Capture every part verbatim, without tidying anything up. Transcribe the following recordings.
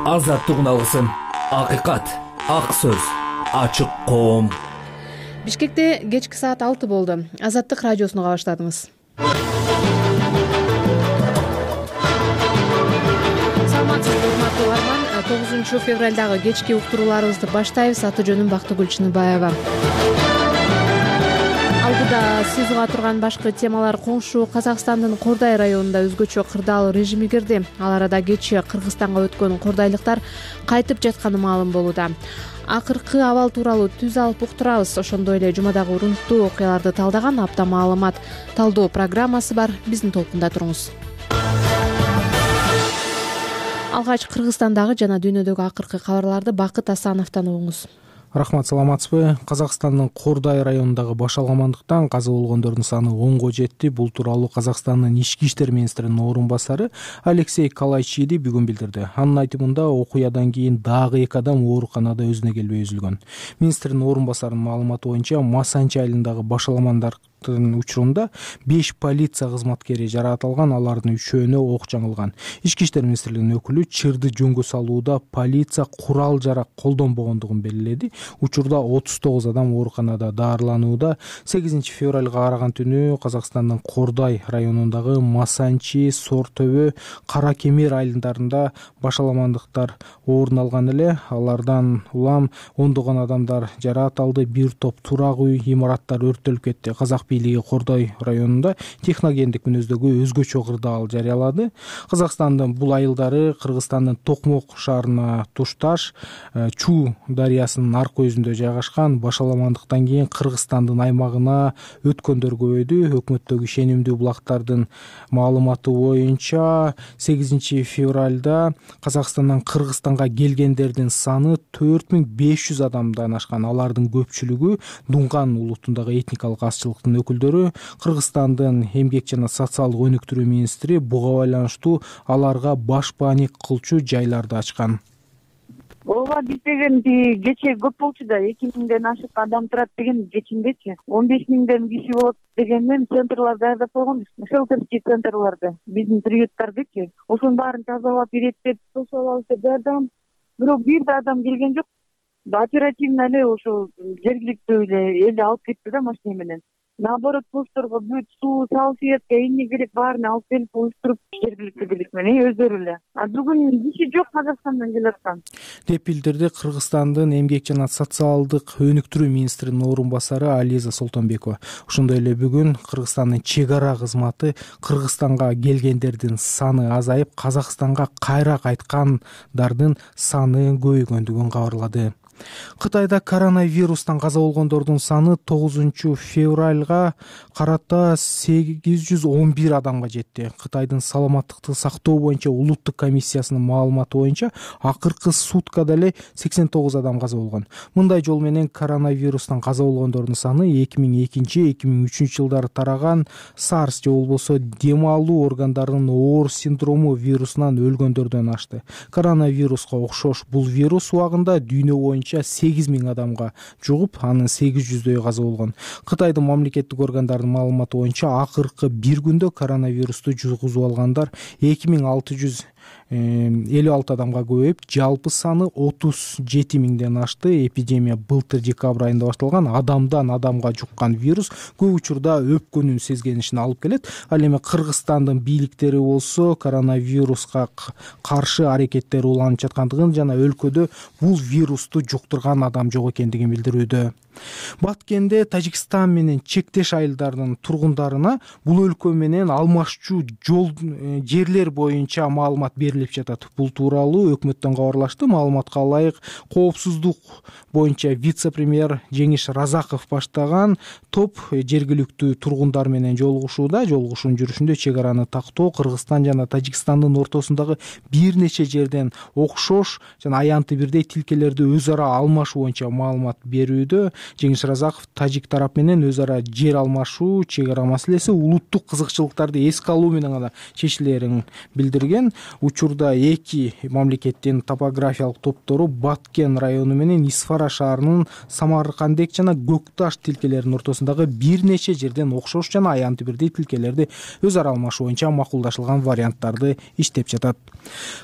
азаттык үналысын, акыйкат, ак сөз, ачык коом. Бишкекте кечки саат алты болду. Азаттык радиосуну баштадыңыз. Саламатсызбы, урматтуу угарман. тогузунчу февралдагы кечки уктурууларыбызды баштайбыз. Аты жөнүм Бактыгүл Чыныбаева. Алдыда сиз уга турган башкы темалар: коңшу Казакстандын Кордай районунда өзгөчө кырдаал режими кирди. Ал арада кечээ Кыргызстанга өткөн кордайлыктар кайтып жатканы маалым болууда. Акыркы абал тууралуу түз алып уктурабыз. Ошондой эле жумадагы урунттуу окуяларды талдаган апта маалымат талдоо программасы бар. Биздин толкунда туруңуз. Алгач Кыргызстандагы жана дүйнөдөгү акыркы кабарларды Бакыт Асановдон угуңуз. Рахмат, саламатсызбы? Казакстандын Кордай районундагы башалгамандыктан каза болгондордун саны онго жетти. Бул тууралуу Казакстандын ички иштер министринин орун басары Алексей Калайчиди бүгүн билдирди. Анын айтымында окуядан кийин дагы эки адам ооруканада өзүнө келбей үзүлгөн. Министрдин орун басарынын маалыматы боюнча Масанчи айылындагы башаламандардын учурунда беш полиция кызматкери жаракат алган, алардын үчөөнө ок жаңылган. Ички иштер министрлигинин өкүлү чырды жөнгө салууда полиция курал жарак колдонбогондугун белгиледи. Учурда отуз тогуз адам ооруканада даарыланууда. сегизинчи февралга караган түнү Казакстандын Кордай районундагы Масанчи, Сортөбө, Кара Кемер айылдарында башаламандыктар орун алган эле. Алардан улам ондогон адамдар жаракат алды. Бир топ турак үй, имараттар өрттөлүп кетти. Казак бийлиги Кордай районунда техногендик мүнөздөгү өзгөчө кырдаал жарыялады. Казакстандын бул айылдары Кыргызстандын Токмок шаарына тушташ Чу дарыясынын аркы көзүндө жайгашкан. Башаламандыктан кийин Кыргызстандын аймагына өткөндөр көбөйдү. Өкмөттөгү ишенимдүү булактардын маалыматы боюнча сегизинчи февралда Казакстандан Кыргызстанга келгендердин саны төрт миң беш жүз адамдан ашкан. Алардын көпчүлүгү Дунган улутундагы этникалык азчылыктын өкүлдөрү. Кыргызстандын эмгек жана социалдык өнүктүрүү министри буга байланыштуу аларга башпаанек кылчу жайларды ачкан. Ооба, биз деген кечээ көп болчу да, эки миңден ашык адам турат деген кечиндечи. он беш миңден киши болот дегенден центрлар даярдап койгонбуз. Шелтерский центрларды, биздин приюттардычы. Ошонун баарын тазалап, иреттеп, тосуп алабыз деп даярдаган. Бирок бир да адам келген жок. Оперативно эле ошо жергиликтүү эле эл алып кетти да машина менен. Наоборот, постторго бүт суу, салфетка, эмне керек баарын алып келип уюштуруп жергиликтүү бийлик менен өздөрү эле. А бүгүн киши жок Казакстандан келип аткан деп билдирди Кыргызстандын эмгек жана социалдык өнүктүрүү министринин орун басары Ализа Солтонбекова. Ошондой эле бүгүн Кыргызстандын чек ара кызматы Кыргызстанга келгендердин саны азайып, Казакстанга кайра кайткандардын саны көбөйгөндүгүн кабарлады. Кытайда коронавирустан каза болгондордун саны тогузунчу февралга карата сегиз жүз он бир адамга жетти. Кытайдын саламаттыкты сактоо боюнча улуттук комиссиясынын маалыматы боюнча акыркы суткада эле сексен тогуз адам каза болгон. Мындай жол менен коронавирустан каза болгондордун саны эки миң экинчи эки миң үчүнчү жылдары тараган сарс же болбосо дем алуу органдарынын оор синдрому вирусунан өлгөндөрдөн ашты. Коронавируска окшош бул вирус убагында дүйнө боюнча сегиз миң адамга жугуп, анын сегиз жүздөйү каза болгон. Кытайдын мамлекеттик органдарынын маалыматы боюнча акыркы бир күндө коронавирусту жугузуп алгандар эки миң алты жүз элүү алты адамга көбөйүп, жалпы саны отуз жети миңден ашты. Эпидемия былтыр декабрь айында башталган. Адамдан адамга жуккан вирус көп учурда өпкөнүн сезгенишин алып келет. Ал эми Кыргызстандын бийликтери болсо коронавируска каршы аракеттер уланып жаткандыгын жана өлкөдө бул вирусту жуктурган адам жок экендигин билдирүүдө. Баткенде Тажикстан менен чектеш айылдардын тургундарына бул өлкө менен алмашчу жол жерлер боюнча маалымат берилип жатат. Бул тууралуу өкмөттөн кабарлашты. Маалыматка ылайык, коопсуздук боюнча вице-премьер Жеңиш Разаков баштаган топ жергиликтүү тургундар менен жолугушууда. Жолугушуунун жүрүшүндө чек араны тактоо Кыргызстан жана Тажикстандын ортосундагы бир нече жерден окшош жана аянты бирдей тилкелерди өз ара алмашуу боюнча маалымат берүүдө. Жеңиш Разаков тажик тарап менен өз ара жер алмашуу, чек ара маселеси улуттук кызыкчылыктарды эске алуу менен гана чечилерин билдирген. Учурда учурда эки мамлекеттин топографиялык топтору Баткен району менен Исфара шаарынын Самаркандек жана Көкташ тилкелеринин ортосундагы бир нече жерден окшош жана аянтты бирдей тилкелерди өз ара алмашуу боюнча макулдашылган варианттарды иштеп жатат.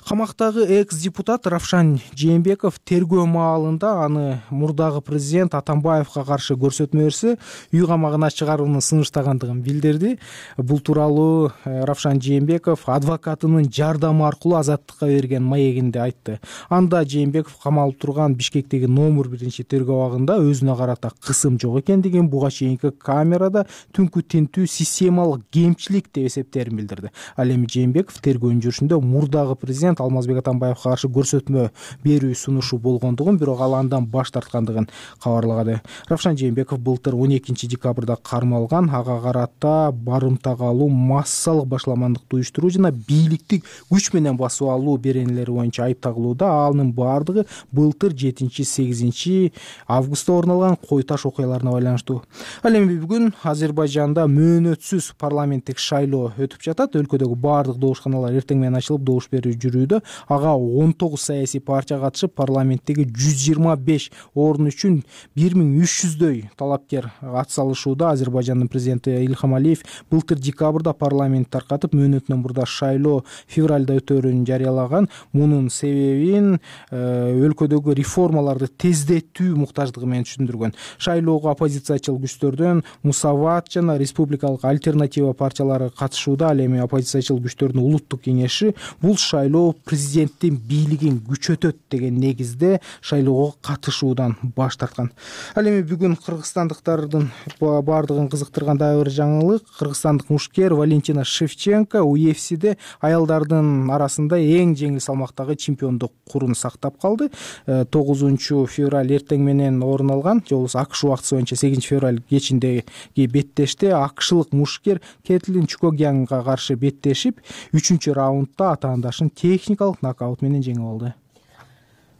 Камактагы экс-депутат Равшан Жээнбеков тергөө маалында аны мурдагы президент Атамбаевга каршы көрсөтмө берсе үй камагына чыгарууну сунуштагандыгын билдирди. Бул тууралуу Равшан Жээнбеков адвокатынын жардамы аркылуу азаттыкка берген маегинде айтты. Анда Жээнбеков камалып турган Бишкектеги номер биринчи тергөө абагында өзүнө карата кысым жок экендигин, буга чейинки камерада түнкү тинтүү системалык кемчилик деп эсептерин билдирди. Ал эми Жээнбеков тергөөнүн жүрүшүндө мурдагы президент Алмазбек Атамбаевга каршы көрсөтмө берүү сунушу болгондугун, бирок ал андан баш тарткандыгын кабарлаган. Равшан Жээнбеков былтыр он экинчи декабрда кармалган. Ага карата барымтага алуу, массалык башаламандыкты уюштуруу жана бийликти күч менен басып алуу беренелери боюнча айып тагылууда. Анын баардыгы былтыр жетинчи сегизинчи августта орун алган Кой Таш окуяларына байланыштуу. Ал эми бүгүн Азербайжанда мөөнөтсүз парламенттик шайлоо өтүп жатат. Өлкөдөгү баардык добушканалар эртең менен ачылып, добуш берүү жүрүүдө. Ага он тогуз саясий партия катышып, парламенттеги жүз жыйырма беш орун үчүн бир миң үч жүздөй талапкер ат салышууда. Азербайжандын президенти Ильхам Алиев былтыр декабрда парламент таркатып, мөөнөтүнөн мурда шайлоо февралда өтөөрүн жарыялаган. Мунун себебин өлкөдөгү реформаларды тездетүү муктаждыгы менен түшүндүргөн. Шайлоого оппозициячыл күчтөрдөн Мусават жана Республикалык альтернатива партиялары катышууда. Ал эми оппозициячыл күчтөрдүн улуттук кеңеши бул шайлоо президенттин бийлигин күчөтөт деген негизде шайлоого катышуудан баш тарткан. Ал эми бүгүн кыргызстандыктардын баардыгын кызыктырган дагы бир жаңылык. Кыргызстандык мушкер Валентина Шевченко У Эф Сиде аялдардын арасында эң жеңил салмактагы чемпиондук курун сактап калды. тогузунчу февраль эртең менен орун алган, же болбосо АКШ убактысы боюнча сегизинчи февраль кечиндеги беттеште акшылык мушкер Кетлин Чукогянга каршы беттешип, үчүнчү раундда атаандашын техникалык нокаут менен жеңип алды.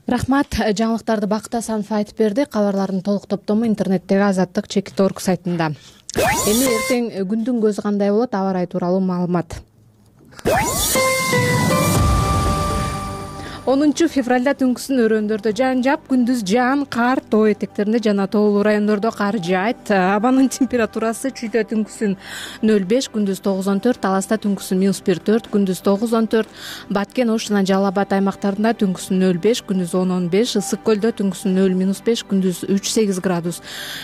Рахмат. Жаңылыктарды Бакыт Асанов айтып берди. Кабарлардын толук топтому интернеттеги Азаттык чекит точка орг сайтында. Эми эртең күндүн көзү кандай болот, аба ырайы тууралуу маалымат. онунчу февралда түнкүсүн өрөөндөрдө жаан жаап, күндүз жаан, кар, тоо этектеринде жана тоолуу райондордо кар жаайт. Абанын температурасы чүйдө түнкүсүн нөл беш, күндүз тогуз он төрт, Таласта түнкүсүн минус бир төрт, күндүз тогуз он төрт, Баткен, Ош жана Жалал Абад аймактарында түнкүсүн нөл беш, күндүз он он беш, Ысык көлдө түнкүсүн нөл минус беш, күндүз үч сегиз градус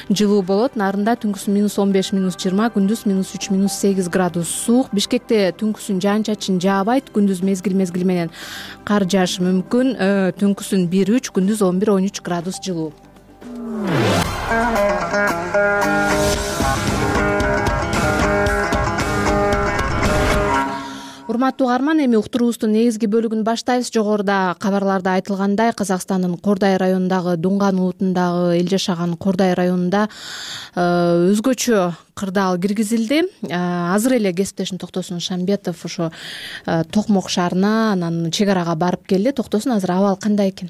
жылуу болот. Нарында түнкүсүн минус он беш, минус жыйырма, күндүз минус үч, минус сегиз градус суук. Бишкекте түнкүсүн жаан чачын жаабайт, күндүз мезгил мезгили менен кар жаашы мүмкүн. Түнкүсүн бир үч, күндүз он бир он үч градус жылуу. Урматтуу угарман, эми уктуруубуздун негизги бөлүгүн баштайбыз. Жогоруда кабарларда айтылгандай, Казакстандын Кордай районундагы Дунган улутундагы эл жашаган Кордай районунда өзгөчө кырдаал киргизилди. Азыр эле кесиптешим Токтосун Шамбетов ошо Токмок шаарына, анан чек арага барып келди. Токтосун, азыр абал кандай экен?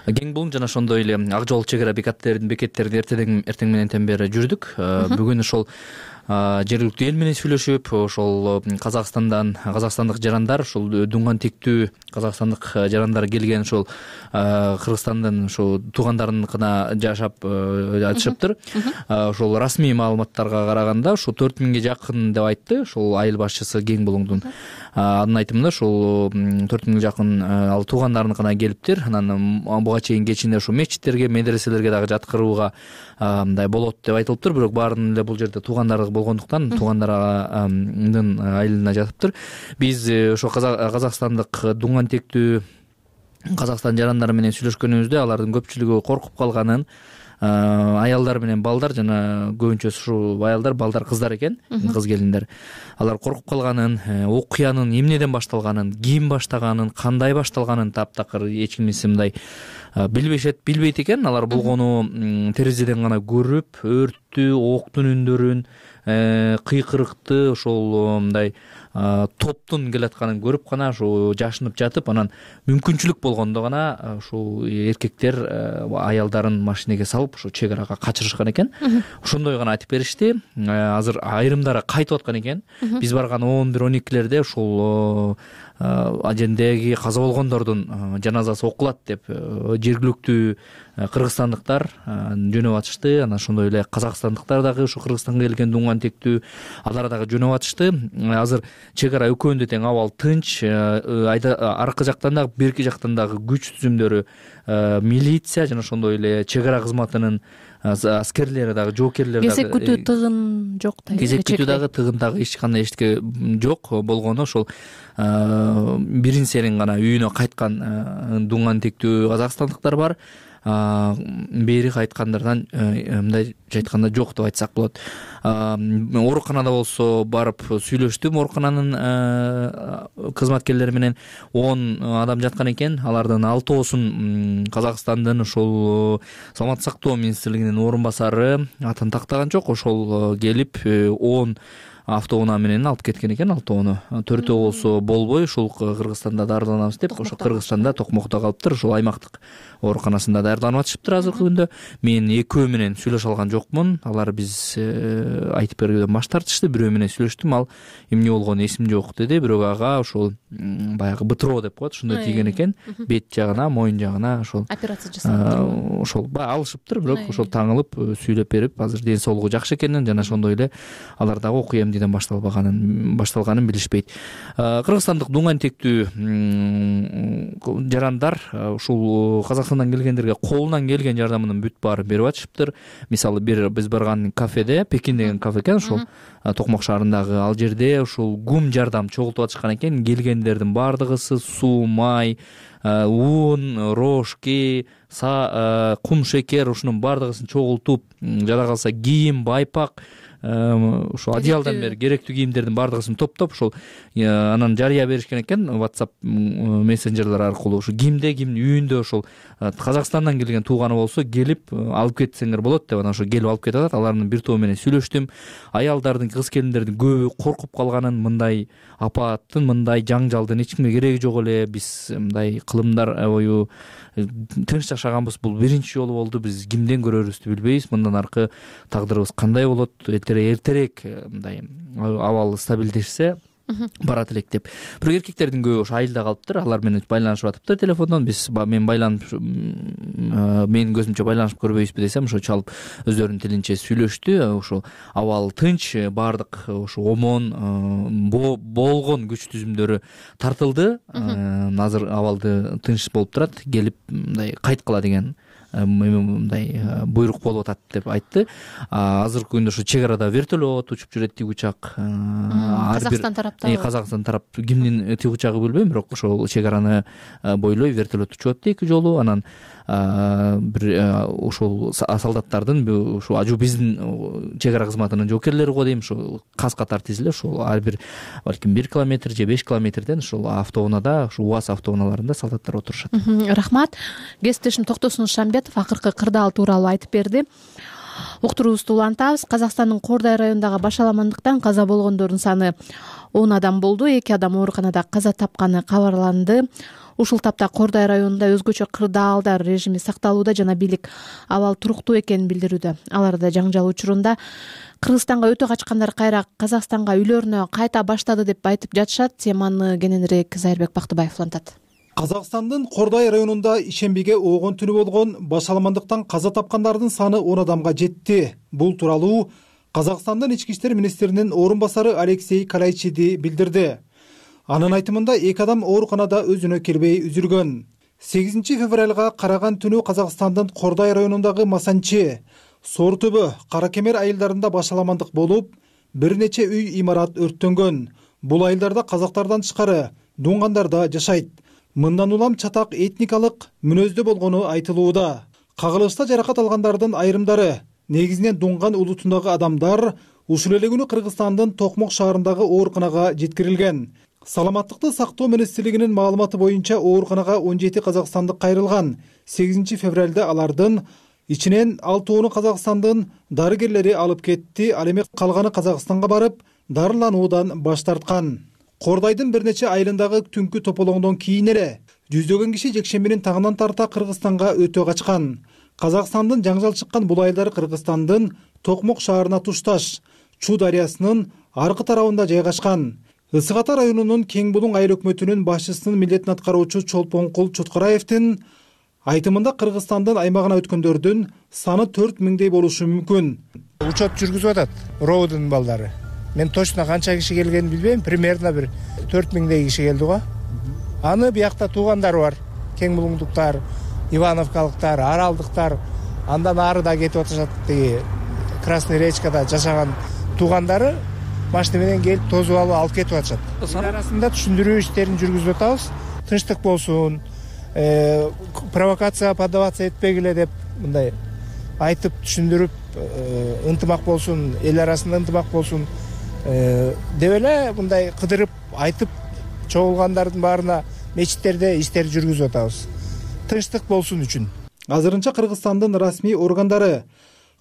Кең булуң жана ошондой эле ак жол чек ара бекеттеринин бекеттерин эртең эртең менен бери жүрдүк. Бүгүн ошол жергиликтүү эл менен сүйлөшүп, ошол Казакстандан казакстандык жарандар, ошол Дунган тектүү казакстандык жарандар келген, ошол Кыргызстандын ошо туугандарыныкына жашап жатышыптыр. Ошол расмий маалыматтарга караганда ошо төрт миңге жакын деп айтты ошол айыл башчысы Кең булуңдун. Анын айтымында ошол төрт миңге жакын ал туугандарыныкына келиптир. Анан буга чейин кечинде ошо мечиттерге, медреселерге дагы жаткырууга мындай болот деп айтылыптыр. Бирок баарынын эле бул жерде туугандары болгондуктан туугандарынын айылына жатыптыр. Биз ошо казакстандык Дунган тектүү Казакстан жарандары менен сүйлөшкөнүбүздө алардын көпчүлүгү коркуп калганын, аялдар менен балдар, жана көбүнчөсү ушу аялдар, балдар, кыздар экен, кыз келиндер. Алар коркуп калганын, окуянын эмнеден башталганын, ким баштаганын, кандай башталганын таптакыр эч кимиси мындай билбешет, билбейт экен. Алар болгону терезеден гана көрүп, өрттү, октун үндөрүн, кыйкырыкты, ошол мындай топтун келатканын көрүп гана ошо жашынып жатып, анан мүмкүнчүлүк болгондо гана ушул эркектер аялдарын машинеге салып ошо чек арага качырышкан экен. Ошондой гана айтып беришти. Азыр айрымдары кайтып аткан экен. Биз барган он бир он экилерде ушул ажендеги каза болгондордун жаназасы окулат деп жергиликтүү кыргызстандыктар жөнөп атышты. Анан ошондой эле казакстандыктар дагы ушу Кыргызстанга келген дуңган тектүү алар дагы жөнөп атышты. Азыр чек ара экөөндө тең абал тынч. Аркы жактан дагы берки жактан дагы күч түзүмдөрү, милиция жана ошондой эле чек ара кызматынын аскерлери дагы, жоокерлери дагы. Кезек күтүү тыгын жок да. Кезек күтүү дагы тыгын дагы эч кандай эчтеке жок болгону ошол бирин серин гана үйүнө кайткан дуңган тектүү казакстандыктар бар. Бери кайткандардан мындай айтканда жок деп айтсак болот. Ооруканада болсо барып сүйлөштүм, оорукананын кызматкерлери менен он адам жаткан экен. Алардын алтоосун Казакстандын ошол саламаттык сактоо министрлигинин орун басары, атын тактаган жок, ошол келип он автоунаа менен алып кеткен экен. Алтоону төртөө болсо болбой ушул Кыргызстанда дарыланабыз деп ошо Кыргызстанда Токмокто калыптыр. Ушул аймактык ооруканасында даярданып атышыптыр азыркы күндө. Мен экөө менен сүйлөшө алган жокмун. Алар биз айтып бергөдөн баш тартышты. Бирөө менен сүйлөштүм, ал эмне болгону эсим жок деди. Бирок ага ошол баягы бытыроо деп коет, ошондой тийген экен. Бет жагына, моюн жагына ошол операция жасалып ошол баягы алышыптыр. Бирок ошол таңылып сүйлөп берип, азыр ден соолугу жакшы экенин жана ошондой эле алар дагы окуя эмнеден башталбаганын башталганын билишпейт. Кыргызстандык дуңган тектүү жарандар ушул Казакстандан келгендерге колунан келген жардамынын бүт баарын берип атышыптыр. Мисалы бир биз барган кафеде, Пекин деген кафе экен, ошол Токмок шаарындагы, ал жерде ушул гум жардам чогултуп атышкан экен. Келгендердин баардыгысы суу, май, ун, рожки, кум шекер ушунун баардыгысын чогултуп, жада калса кийим, байпак, ошо одеялдан бери керектүү кийимдердин баардыгысын топтоп ошол анан жарыя беришкен экен WhatsApp мессенджерлер аркылуу. Ушу кимде, кимдин үйүндө ошол Казакстандан келген тууганы болсо келип алып кетсеңер болот деп анан ошо келип алып кетип атат. Алардын бир тобу менен сүйлөштүм. Аялдардын, кыз келиндердин көбү коркуп калганын, мындай апааттын, мындай жаңжалдын эч кимге кереги жок эле, биз мындай кылымдар бою тынч жашаганбыз, бул биринчи жолу болду, биз кимден көрөрүбүздү билбейбиз, мындан аркы тагдырыбыз кандай болот, эртерээк мындай абал стабилдешсе барат элек деп. Бирок эркектердин көбү ошо айылда калыптыр, алар менен байланышып атыптыр телефондон. Биз мен байланып менин көзүмчө байланышып көрбөйбүзбү десем, ошо чалып өздөрүнүн тилинче сүйлөштү. Ошо абал тынч, баардык ошо омон болгон күч түзүмдөрү тартылды. Азыр абалды тынч болуп турат, келип мындай кайткыла деген мындай буйрук болуп атат деп айтты. Азыркы күндө ошо чек арада вертолет учуп жүрөт, тигучак. Казакстан тараптан. Казакстан тарап кимдин тигучагы билбейм, бирок ошол чек араны бойлой вертолет учуп атты эки жолу. Анан бир ошол солдаттардын ушу ажу биздин чек ара кызматынын жоокерлери го дейм, ошо каз катар тизиле, ошол ар бир балким бир километр же беш километрден ошол автоунаада, ошо УАЗ автоуналарында солдаттар отурушат. Рахмат. Кесиптешим Токтосун Шамбетов акыркы кырдаал тууралуу айтып берди. Уктуруубузду улантабыз. Казакстандын Кордай районундагы башаламандыктан каза болгондордун саны он адам болду. эки адам ооруканада каза тапканы кабарланды. Ушул тапта Кордай районунда өзгөчө кырдаалдар режими сакталууда жана бийлик абал туруктуу экенин билдирүүдө. Аларда жаңжал учурунда Кыргызстанга өтө качкандар кайра Казакстанга үйлөрүнө кайта баштады деп айтып жатышат. Теманы кененирээк Зайырбек Бактыбаев улантат. Казакстандын Кордай районунда ишембиге оогон түнү болгон башаламандыктан каза тапкандардын саны он адамга жетти. Бул тууралуу Казакстандын ички иштер министринин орун басары Алексей Калайчиди билдирди. Анын айтымында эки адам ооруканада өзүнө келбей үзүлгөн. сегизинчи февралга караган түнү Казакстандын Кордай районундагы Масанчи, Сор түбү, Кара Кемер айылдарында башаламандык болуп, бир нече үй имарат өрттөнгөн. Бул айылдарда казактардан тышкары дуңгандар да жашайт. Мындан улам чатак этникалык мүнөздө болгону айтылууда. Кагылышта жаракат алгандардын айрымдары негизинен дуңган улутундагы адамдар ушул эле күнү Кыргызстандын Токмок шаарындагы ооруканага жеткирилген. Саламаттыкты сактоо министрлигинин маалыматы боюнча ооруканага он жети казакстандык кайрылган. сегизинчи февралда алардын ичинен алтоону Казакстандын дарыгерлери алып кетти. Ал эми калганы Казакстанга барып дарылануудан баш тарткан. Кордайдын бир нече айылындагы түнкү тополоңдон кийин эле жүздөгөн киши жекшембинин таңынан тарта Кыргызстанга өтө качкан. Казакстандын жаңжал чыккан бул айылдар Кыргызстандын Токмок шаарына тушташ Чу дарыясынын аркы тарабында жайгашкан. Ысык Ата районунун Кең Булуң айыл өкмөтүнүн башчысынын милдетин аткаруучу Чолпонкул Чоткараевдин айтымында Кыргызстандын аймагына өткөндөрдүн саны төрт миңдей болушу мүмкүн. Учет жүргүзүп атат РОУдун балдары. Мен точно канча киши келгенин билбейм, примерно бир төрт миңдей киши келди го. Аны биякта туугандары бар. Кең Булуңдуктар, Ивановкалыктар, Аралдыктар, андан ары да кетип атышат. Тиги Красный Речкада жашаган туугандары машина менен келип тозуп алып алып кетип атышат. Арасында түшүндүрүү иштерин жүргүзүп атабыз. Тынчтык болсун, провокация поддаваться этпегиле деп мындай айтып түшүндүрүп, ынтымак болсун, эл арасында ынтымак болсун деп эле мындай кыдырып айтып чогулгандардын баарына мечиттерде иштер жүргүзүп атабыз. Тынчтык болсун үчүн. Азырынча Кыргызстандын расмий органдары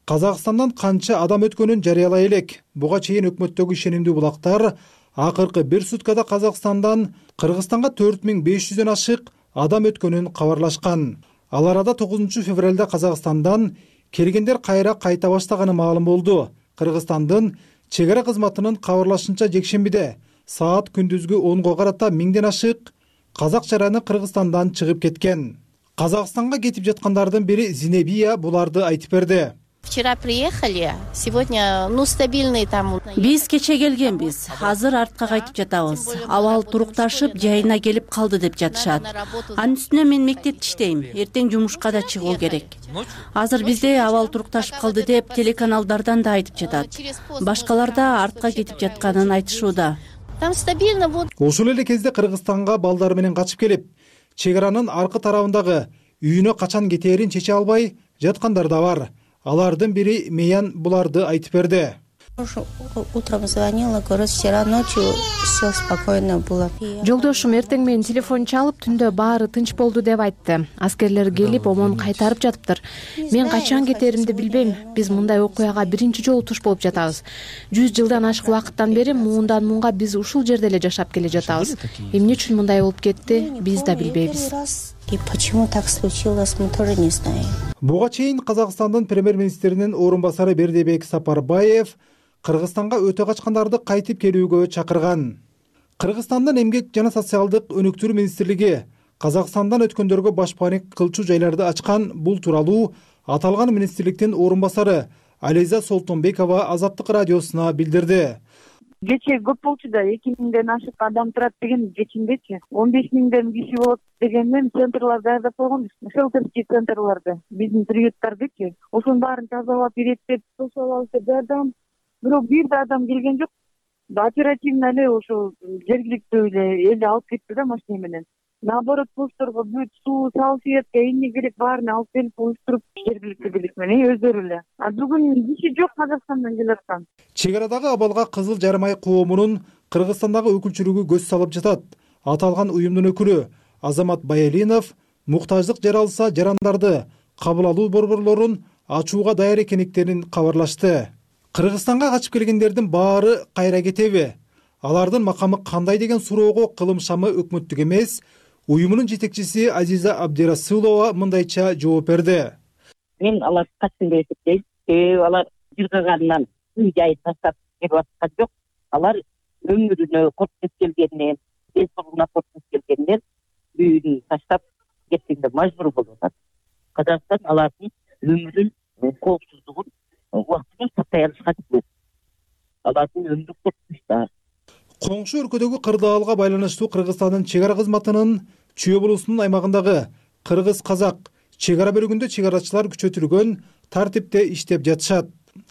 Казакстандан канча адам өткөнүн жарыялай элек. Буга чейин өкмөттөгү ишенимдүү булактар акыркы бир суткада Казакстандан Кыргызстанга төрт миң беш жүздөн ашык адам өткөнүн кабарлашкан. Ал арада тогузунчу февралда Казакстандан келгендер кайра кайта баштаганы маалым болду. Кыргызстандын чек ара кызматынын кабарлашынча жекшембиде саат күндүзгү онго карата миңден ашык казак жараны Кыргызстандан чыгып кеткен. Казакстанга кетип жаткандардын бири Зинебия буларды айтып берди. Вчера приехали, сегодня, ну, стабильный там. Биз кече келгенбиз, азыр артка кайтып жатабыз. Абал турукташып, жайына келип калды деп жатышат. Анын үстүнө мен мектепте иштейм, эртең жумушка да чыгуу керек. Азыр бизде абал турукташып калды деп телеканалдардан да айтып жатат. Башкалар да артка кетип жатканын айтышууда. Там стабильно вот. Ошол эле кезде Кыргызстанга балдары менен качып келип, чек аранын аркы тарабындагы үйүнө качан кетээрин чече албай жаткандар да бар. Алардын бири Меян буларды айтып берди. Утром звонила, говорит, вчера ночью все спокойно было. Жолдошум эртең менен телефон чалып, түндө баары тынч болду деп айтты. Аскерлер келип, омон кайтарып жатыптыр. Мен качан кетеримди билбейм. Биз мындай окуяга биринчи жолу туш болуп жатабыз. жүз жылдан ашык убакыттан бери муундан муунга биз ушул жерде эле жашап келе жатабыз. Эмне үчүн мындай болуп кетти, биз да билбейбиз. И почему так случилось, мы тоже не знаем. Буга чейин Казакстандын премьер-министринин орун басары Бердибек Сапарбаев Кыргызстанга өтө качкандарды кайтып келүүгө чакырган. Кыргызстандын эмгек жана социалдык өнүктүрүү министрлиги Казакстандан өткөндөргө башпаанек кылчу жайларды ачкан. Бул тууралуу аталган министрликтин орун басары Ализа Солтонбекова Азаттык радиосуна билдирди. Кече көп болчу да, эки миңден ашык адам турат деген кечиндечи. он беш миңден киши болот дегенден центрлар даярдап койгонбуз. Шелтерский центрларды, биздин приюттардычы. Ошонун баарын тазалап, иреттеп, тосуп алып даярдаган. Бирок бир да адам келген жок. Оперативно эле ошо жергиликтүү эле эл алып кетти да машина менен. Наоборот, постторго бүт суу, салфетка, эмне керек баарын алып келип уюштуруп жергиликтүү бийлик менен өздөрү эле. А бүгүн киши жок Казакстандан келаткан. Чек арадагы абалга Кызыл Жармай коомунун Кыргызстандагы өкүлчүлүгү көз салып жатат. Аталган уюмдун өкүлү Азамат Баялинов муктаждык жаралса жарандарды кабыл алуу борборлорун ачууга даяр экендиктерин кабарлашты. Кыргызстанга качып келгендердин баары кайра кетеби? Алардын макамы кандай деген суроого кылым шамы өкмөттүк эмес, уюмунун жетекчиси Азиза Абдирасулова мындайча жооп берди. Мен алар качсын деп эсептейм. Себеби алар жыргаганынан үй жайын таштап кетип аткан жок. Алар өмүрүнө коркуп келгенинен, эл соолугуна коркуп келгенинен үйүн таштап кеткенге мажбур болуп атат. Казакстан алардын өмүрүн, коопсуздугун убактылуу сактай алышка тийбейт. Алардын өмүрү коркунучта. Коңшу өлкөдөгү кырдаалга байланыштуу Кыргызстандын чек ара кызматынын Чүй облусунун аймагындагы кыргыз-казак чек ара бөлүгүндө чек арачылар күчөтүлгөн тартипте иштеп жатышат.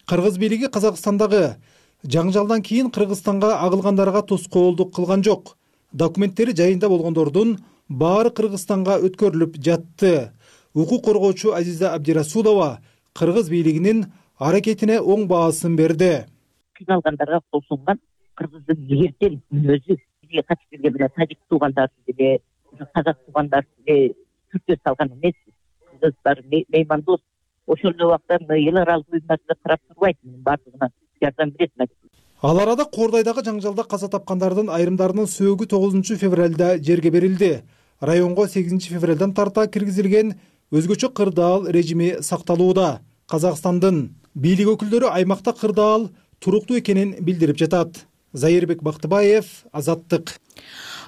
Кыргыз бийлиги Казакстандагы жаңжалдан кийин Кыргызстанга агылгандарга тоскоолдук кылган жок. Документтери жайында болгондордун баары Кыргызстанга өткөрүлүп жатты. Укук коргоочу Азиза Абдирасулова кыргыз бийлигинин аракетине оң баасын берди. Кыйналгандарга кол сунган кыргыздын эртен мүнөзү бизге качып келген менен тажик туугандарды деле, казак туугандарды деле түртө салган эмес. Кыргыздар меймандос. Ошол эле убакта эл аралык уюмдарда карап турбайт, бардыгына жардам берет. Ал арада Кордайдагы жаңжалда каза тапкандардын айрымдарынын сөөгү тогузунчу февралда жерге берилди. Районго сегизинчи февралдан тарта киргизилген өзгөчө кырдаал режими сакталууда. Казакстандын бийлик өкүлдөрү аймакта кырдаал туруктуу экенин билдирип жатат. Зайырбек Бактыбаев, Азаттык.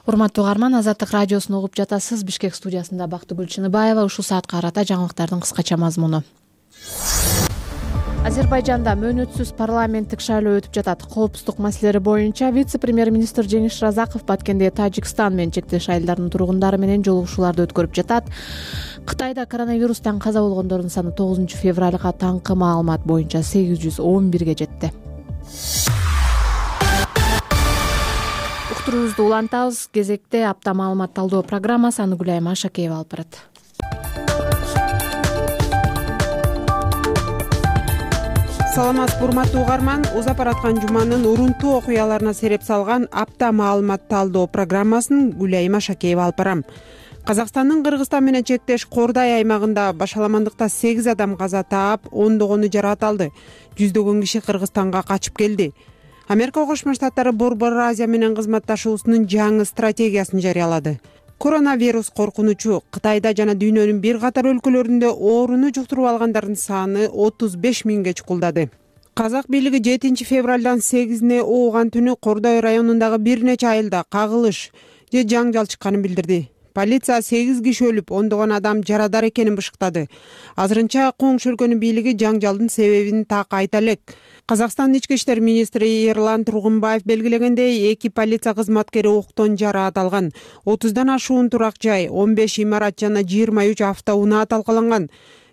Урматтуу угарман, Азаттык радиосун угуп жатасыз. Бишкек студиясында Бактыгүл Чыныбаева. Ушул саатка карата жаңылыктардын кыскача мазмуну. Азербайжанда мөөнөтсүз парламенттик шайлоо өтүп жатат. Коопсуздук маселелери боюнча вице-премьер-министр Жеңиш Разаков Баткенде Тажикстан менен чектеш айылдарынын тургундары менен жолугушууларды өткөрүп жатат. Кытайда коронавирустан каза болгондордун саны тогузунчу февралга таңкы маалымат боюнча сегиз жүз он бирге жетти. Уктуруубузду улантабыз. Кезекте апта маалымат талдоо программасы. Аны Гүлайым Ашакеева алып барат. Саламатсызбы урматтуу угарман, узап бараткан жуманын урунтуу окуяларына сереп салган апта маалымат талдоо программасын Гүлайым Ашакеева алып барам. Казакстандын Кыргызстан менен чектеш Кордай аймагында башаламандыкта сегиз адам каза таап, ондогону жаракат алды. Жүздөгөн киши Кыргызстанга качып келди. Америка Кошмо Штаттары Борбор Азия менен кызматташуусунун жаңы стратегиясын жарыялады. Коронавирус коркунучу Кытайда жана дүйнөнүн бир катар өлкөлөрүндө ооруну жуктуруп алгандардын саны отуз беш миңге чукулдады. Казак бийлиги жетинчи февралдан сегизине ооган түнү Кордой районундагы бир нече айылда кагылыш же жаңжал чыкканын билдирди. Полиция сегиз киши өлүп, ондогон адам жарадар экенин бышыктады. Азырынча коңшу өлкөнүн бийлиги жаңжалдын себебин так айта элек. Казакстан ички иштер министри Эрлан Тургунбаев белгилегендей, эки полиция кызматкери октон жараат алган. отуздан ашуун турак жай, он беш имарат жана жыйырма үч автоунаа талкаланган.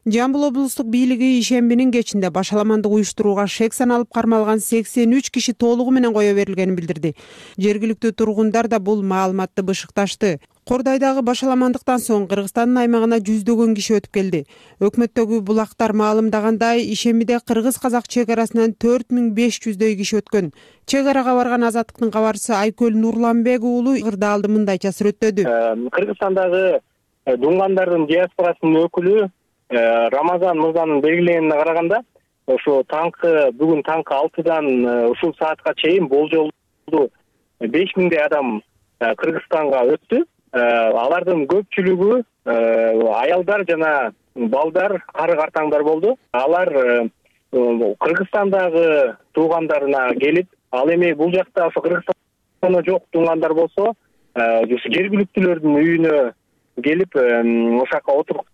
Жамбыл облустук бийлиги ишембинин кечинде башаламандык уюштурууга шек саналып кармалган сексен үч киши толугу менен кое берилгенин билдирди. Жергиликтүү тургундар да бул маалыматты бышыкташты. Кордойдогу башаламандыктан соң Кыргызстандын аймагына жүздөгөн киши өтүп келди. Өкмөттөгү булактар маалымдагандай, ишембиде кыргыз-казак чек арасынан төрт миң беш жүздөй киши өткөн. Чек арага барган Азаттыктын кабарчысы Айкөл Нурланбек уулу Кырдаалды мындайча сүрөттөдү. Кыргызстандагы дунгандардын диаспорасынын өкүлү Рамазан мырзанын белгилегенине караганда, ошо таңкы бүгүн таңкы алтыдан ушул саатка чейин болжолдуу беш миңдей адам Кыргызстанга өттү. Алардын көпчүлүгү аялдар жана балдар, кары-картаңдар болду. Алар Кыргызстандагы туугандарына келип, ал эми бул жакта ошо Кыргызстанда жок туугандар болсо, жергиликтүүлөрдүн үйүнө келип, ошака отуруп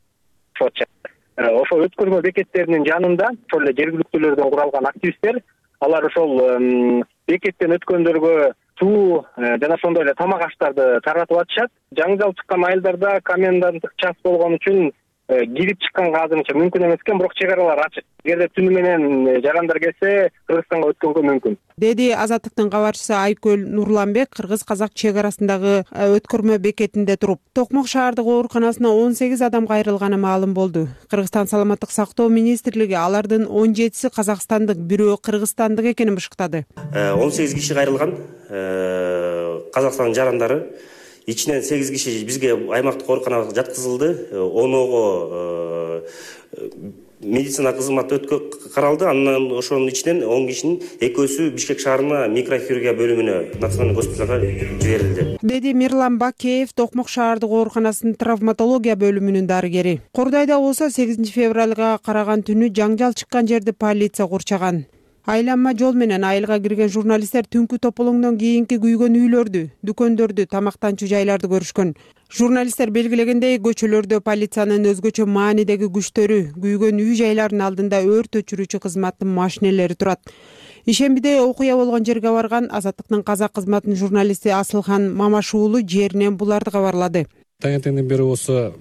ошо өткөрмө бекеттеринин жанында ошол эле жергиликтүүлөрдөн куралган активисттер, алар ошол бекеттен өткөндөргө суу жана ошондой эле тамак аштарды таратып атышат. Жаңжал чыккан айылдарда коменданттык час болгон үчүн кирип чыкканга азырынча мүмкүн эмес экен, бирок чек аралар ачык. Эгерде түнү менен жарандар келсе, Кыргызстанга өткөнгө мүмкүн, деди Азаттыктын кабарчысы Айкөл Нурланбек кыргыз-казак чек арасындагы өткөрмө бекетинде туруп. Токмок шаардык ооруканасына он сегиз адам кайрылганы маалым болду. Кыргызстан саламаттык сактоо министрлиги алардын он жетиси казакстандык, бирөө кыргызстандык экенин бышыктады. он сегиз киши кайрылган. Казакстандын жарандары ичинен сегиз киши бизге аймактык ооруканага жаткызылды. Оного медицина кызматы өткө каралды. Андан ошонун ичинен он кишинин экөөсү Бишкек шаарына микрохирургия бөлүмүнө, националдык госпиталга жиберилди, деди Мирлан Бакеев, Токмок шаардык ооруканасынын травматология бөлүмүнүн дарыгери. Кордойдо болсо сегизинчи февралга караган түнү жаңжал чыккан жерди полиция курчаган. Айланма жол менен айылга кирген журналисттер түнкү тополоңдон кийинки күйгөн үйлөрдү, дүкөндөрдү, тамактанчу жайларды көрүшкөн. Журналисттер белгилегендей, көчөлөрдө полициянын өзгөчө маанидеги күчтөрү, күйгөн үй жайлардын алдында өрт өчүрүүчү кызматтын машинелери турат. Ишембиде окуя болгон жерге барган Азаттыктын казак кызматынын журналисти Асылхан Мамаш уулу жеринен буларды кабарлады. Таңертеңден бери осы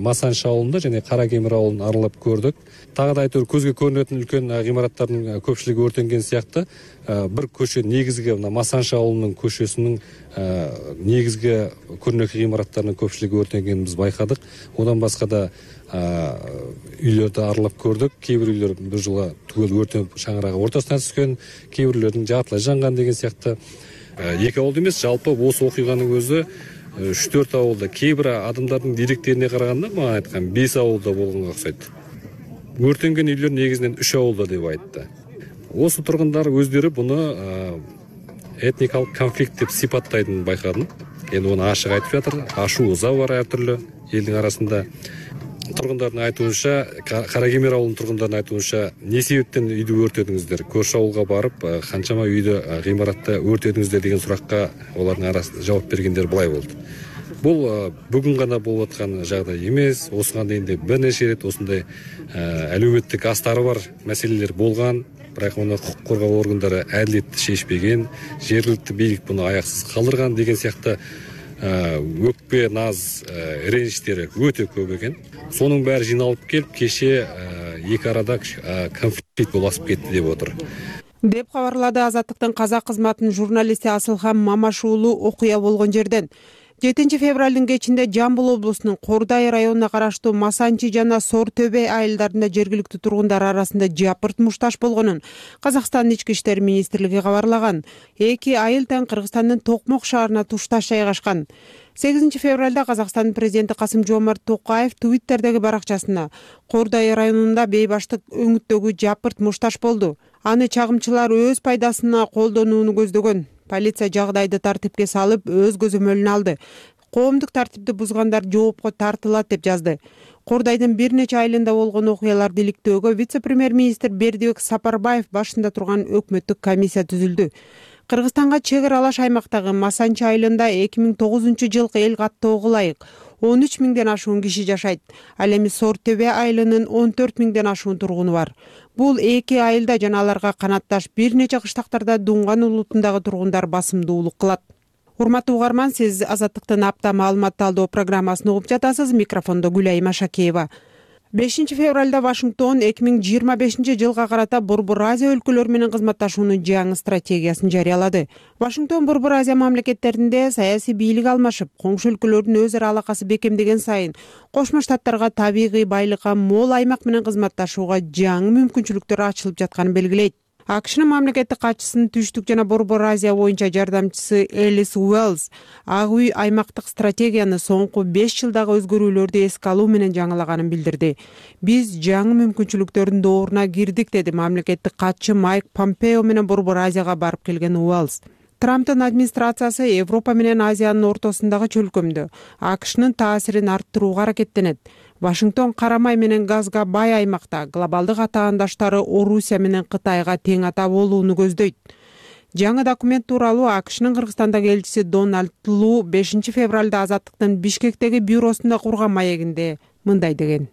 Масаншы ауылында және Каракемир ауылын аралап көрдік. Тағы да айтор көзге көрінетін үлкен ғимараттардың көпшілігі өртенген сияқты. Бір көше негізгі Масаншы ауылының көшесінің негізгі көрнекі ғимараттарының көпшілігі өртенгенін біз байқадық. Одан басқа да үйлерді аралап көрдік. Кейбір үйлер бір жылға түгел өртеніп шаңырағы ортасына түскен, кейбірлердің жартылай жанған деген сияқты. Екі ауылды емес, жалпы осы оқиғаның өзі үч төрт ауылда, кейбір адамдардың деректеріне қарағанда маған айтқан бес ауылда болғанға ұқсайды. Өртенген үйлер негізінен үш ауылда деп айтты. Осы тұрғындар өздері бұны этникалық конфликт деп сипаттайтынын байқадым. Енді оны ашық айтып жатыр. Ашу ыза бар әртүрлі елдің арасында. тургундардын айтуунча, Кара Кемер ауылунун тургундарынын айтуунча, эмне себептен үйдү өртөдүңүздөр, көршү ауылга барып канчама үйдү гыймаратта өртөдүңүздөр деген суракка алардын арасында жооп бергендер былай болду. Бул бүгүн гана болуп аткан жагдай эмес, осуга дейин де бир нече ирет осундай әлеуметтик астары бар маселелер болгон, бирок муну укук коргоо органдары адилетти шешпеген, жергиликтүү бийлик муну аяксыз калтырган деген сыяктуу өкпе, наз, реничтери өтө көп экен. Сонун баары жыйналып келип, кеше эки арада конфликт болуп кетти деп отур. Деп кабарлады Азаттыктын казак кызматынын журналисти Асылхан Мамаш уулу окуя болгон жерден. жетинчи февралдын кечинде Жамбыл облусунун Кордай районуна караштуу Масанчи жана Сор Төбө айылдарында жергиликтүү тургундар арасында жапырт мушташ болгонун Казакстандын ички иштер министрлиги кабарлаган. Эки айыл тең Кыргызстандын Токмок шаарына тушташ жайгашкан. сегизинчи февралда Казакстандын президенти Касым-Жомарт Токаев Твиттердеги баракчасына Кордай районунда бейбаштык өңүттөгү жапырт мушташ болду. Аны чагымчылар өз пайдасына колдонууну көздөгөн. Полиция жагдайды тартипке салып, өз көзөмөлүнө алды. Коомдук тартипти бузгандар жоопко тартылат деп жазды. Кордайдын бир нече айылында болгон окуяларды иликтөөгө вице-премьер-министр Бердибек Сапарбаев башында турган өкмөттүк комиссия түзүлдү. Кыргызстанга чек аралаш аймактагы Масанчи айылында эки миң тогузунчу жылкы эл каттоого ылайык он үч миңден ашуун киши жашайт. Ал эми Сор Төбө айылынын он төрт миңден ашуун тургуну бар. Бул эки айылда жана аларга канатташ бир нече кыштактарда Дунган улутундагы тургундар басымдуулук кылат. Урматтуу угарман, сиз Азаттыктын апта маалымат талдоо программасын угуп жатасыз. Микрофондо Гүлайым Ашакеева. бешинчи февралда Вашингтон эки миң жыйырма бешинчи жылга карата Борбор Азия өлкөлөрү менен кызматташуунун жаңы стратегиясын жарыялады. Вашингтон Борбор Азия мамлекеттеринде саясий бийлик алмашып, коңшу өлкөлөрдүн өз ара алакасы бекемдеген сайын Кошмо Штаттарга табигый байлыкка мол аймак менен кызматташууга жаңы мүмкүнчүлүктөр ачылып жатканын белгилейт. АКШнын мамлекеттик катчысынын Түштүк жана Борбор Азия боюнча жардамчысы Элис Уэллс Ак үй аймактык стратегияны соңку беш жылдагы өзгөрүүлөрдү эске алуу менен жаңылаганын билдирди. Биз жаңы мүмкүнчүлүктөрдүн дооруна кирдик, деди мамлекеттик катчы Майк Помпео менен Борбор Азияга барып келген Уэллс. Трамптын администрациясы Европа менен Азиянын ортосундагы чөлкөмдө АКШнын таасирин арттырууга аракеттенет. Вашингтон карамай менен газга бай аймакта глобалдык атаандаштары Орусия менен Кытайга тең ата болууну көздөйт. Жаңы документ тууралуу АКШнын Кыргызстандагы элчиси Дональд Лу бешинчи февралда Азаттыктын Бишкектеги бюросунда курган маегинде мындай деген.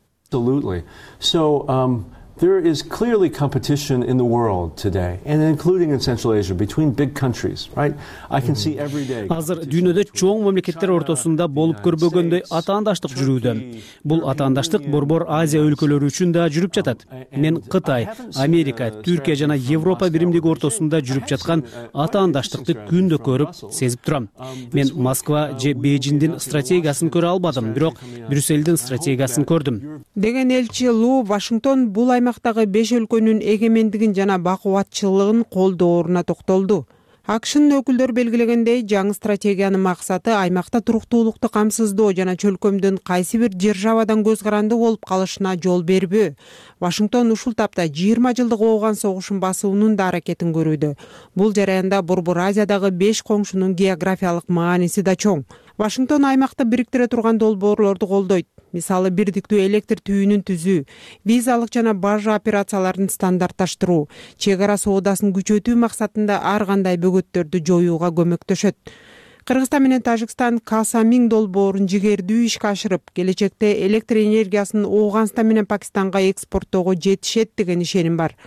There is clearly competition in the world today, and including in Central Asia, between big countries, right? I can see every day. Азыр дүйнөдө чоң мамлекеттер ортосунда болуп көрбөгөндөй атаандаштык жүрүүдө. Бул атаандаштык Борбор Азия өлкөлөрү үчүн да жүрүп жатат. Мен Кытай, Америка, Түркия жана Европа биримдиги ортосунда жүрүп жаткан атаандаштыкты күндө көрүп, сезип турам. Мен Москва же Бейжиңдин стратегиясын көрө албадым, бирок Брюссельдин стратегиясын көрдүм. Деген элчи Лу Вашингтон бул аймактагы беш өлкөнүн эгемендигин жана бакубатчылыгын колдооруна токтолду. АКШнын өкүлдөрү белгилегендей, жаңы стратегиянын максаты аймакта туруктуулукту камсыздоо жана чөлкөмдүн кайсы бир державадан көз каранды болуп калышына жол бербөө. Вашингтон ушул тапта жыйырма жылдык ооган согушун басуунун да аракетин көрүүдө. Бул жараянда Борбор Азиядагы беш коңшунун географиялык мааниси да чоң. Вашингтон аймакты бириктире турган долбоорлорду колдойт. Мисалы, бирдиктүү электр түйүнүн түзүү, визалык жана бажа операцияларын стандартташтыруу, чек ара соодасын күчөтүү максатында ар кандай бөгөттөрдү жоюуга көмөктөшөт. Кыргызстан менен Тажикстан Касамин долбоорун жигердүү ишке ашырып, келечекте электр энергиясын Ооганстан менен Пакистанга экспорттоого жетишет деген ишеним бар.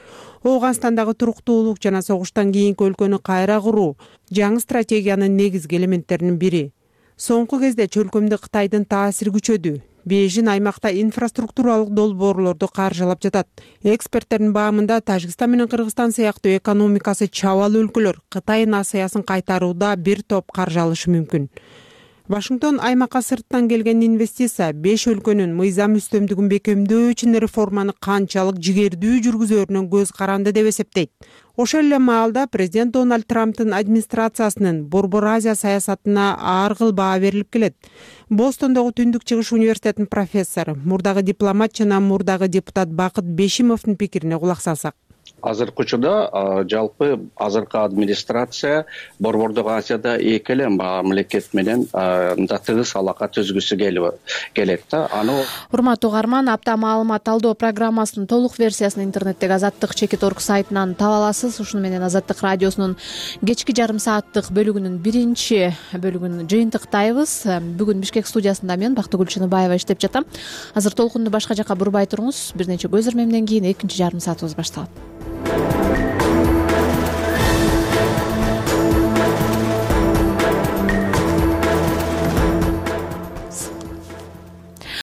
Ооганстандагы туруктуулук жана согуштан кийинки өлкөнү кайра куруу жаңы стратегиянын негизги элементтеринин бири. Соңку кезде чөлкөмдө Кытайдын таасири күчөдү. Бейжин аймакта инфраструктуралык долбоорлорду каржылап жатат. Эксперттердин баамында Тажикстан менен Кыргызстан сыяктуу экономикасы чабал өлкөлөр Кытайдын Асаясын кайтарууда бир топ каржы алышы мүмкүн. Вашингтон аймакка сырттан келген инвестиция беш өлкөнүн мыйзам үстөмдүгүн бекемдөө үчүн реформаны канчалык жигердүү жүргүзөрүнөн көз каранды деп эсептейт. Ошол эле маалда президент Дональд Трамптын администрациясынын Борбор Азия саясатына ар кыл баа берилип келет. Бостондогу Түндүк Чыгыш университетинин профессору, мурдагы дипломат жана мурдагы депутат Бакыт Бешимовдун пикирине кулак салсак. азыркы учурда жалпы азыркы администрация Борбордук Азияда эки эле мамлекет менен мындай тыгыз алака түзгүсү келет да. Аны урматтуу угарман, апта маалымат талдоо программасынын толук версиясын интернеттеги Азаттык чекит орг сайтынан таба аласыз. Ушуну менен Азаттык радиосунун кечки жарым сааттык бөлүгүнүн биринчи бөлүгүн жыйынтыктайбыз. Бүгүн Бишкек студиясында мен Бактыгүл Чыныбаева иштеп жатам. Азыр толкунду башка жака бурбай туруңуз. Бир нече көз ирмемден кийин экинчи жарым саатыбыз башталат.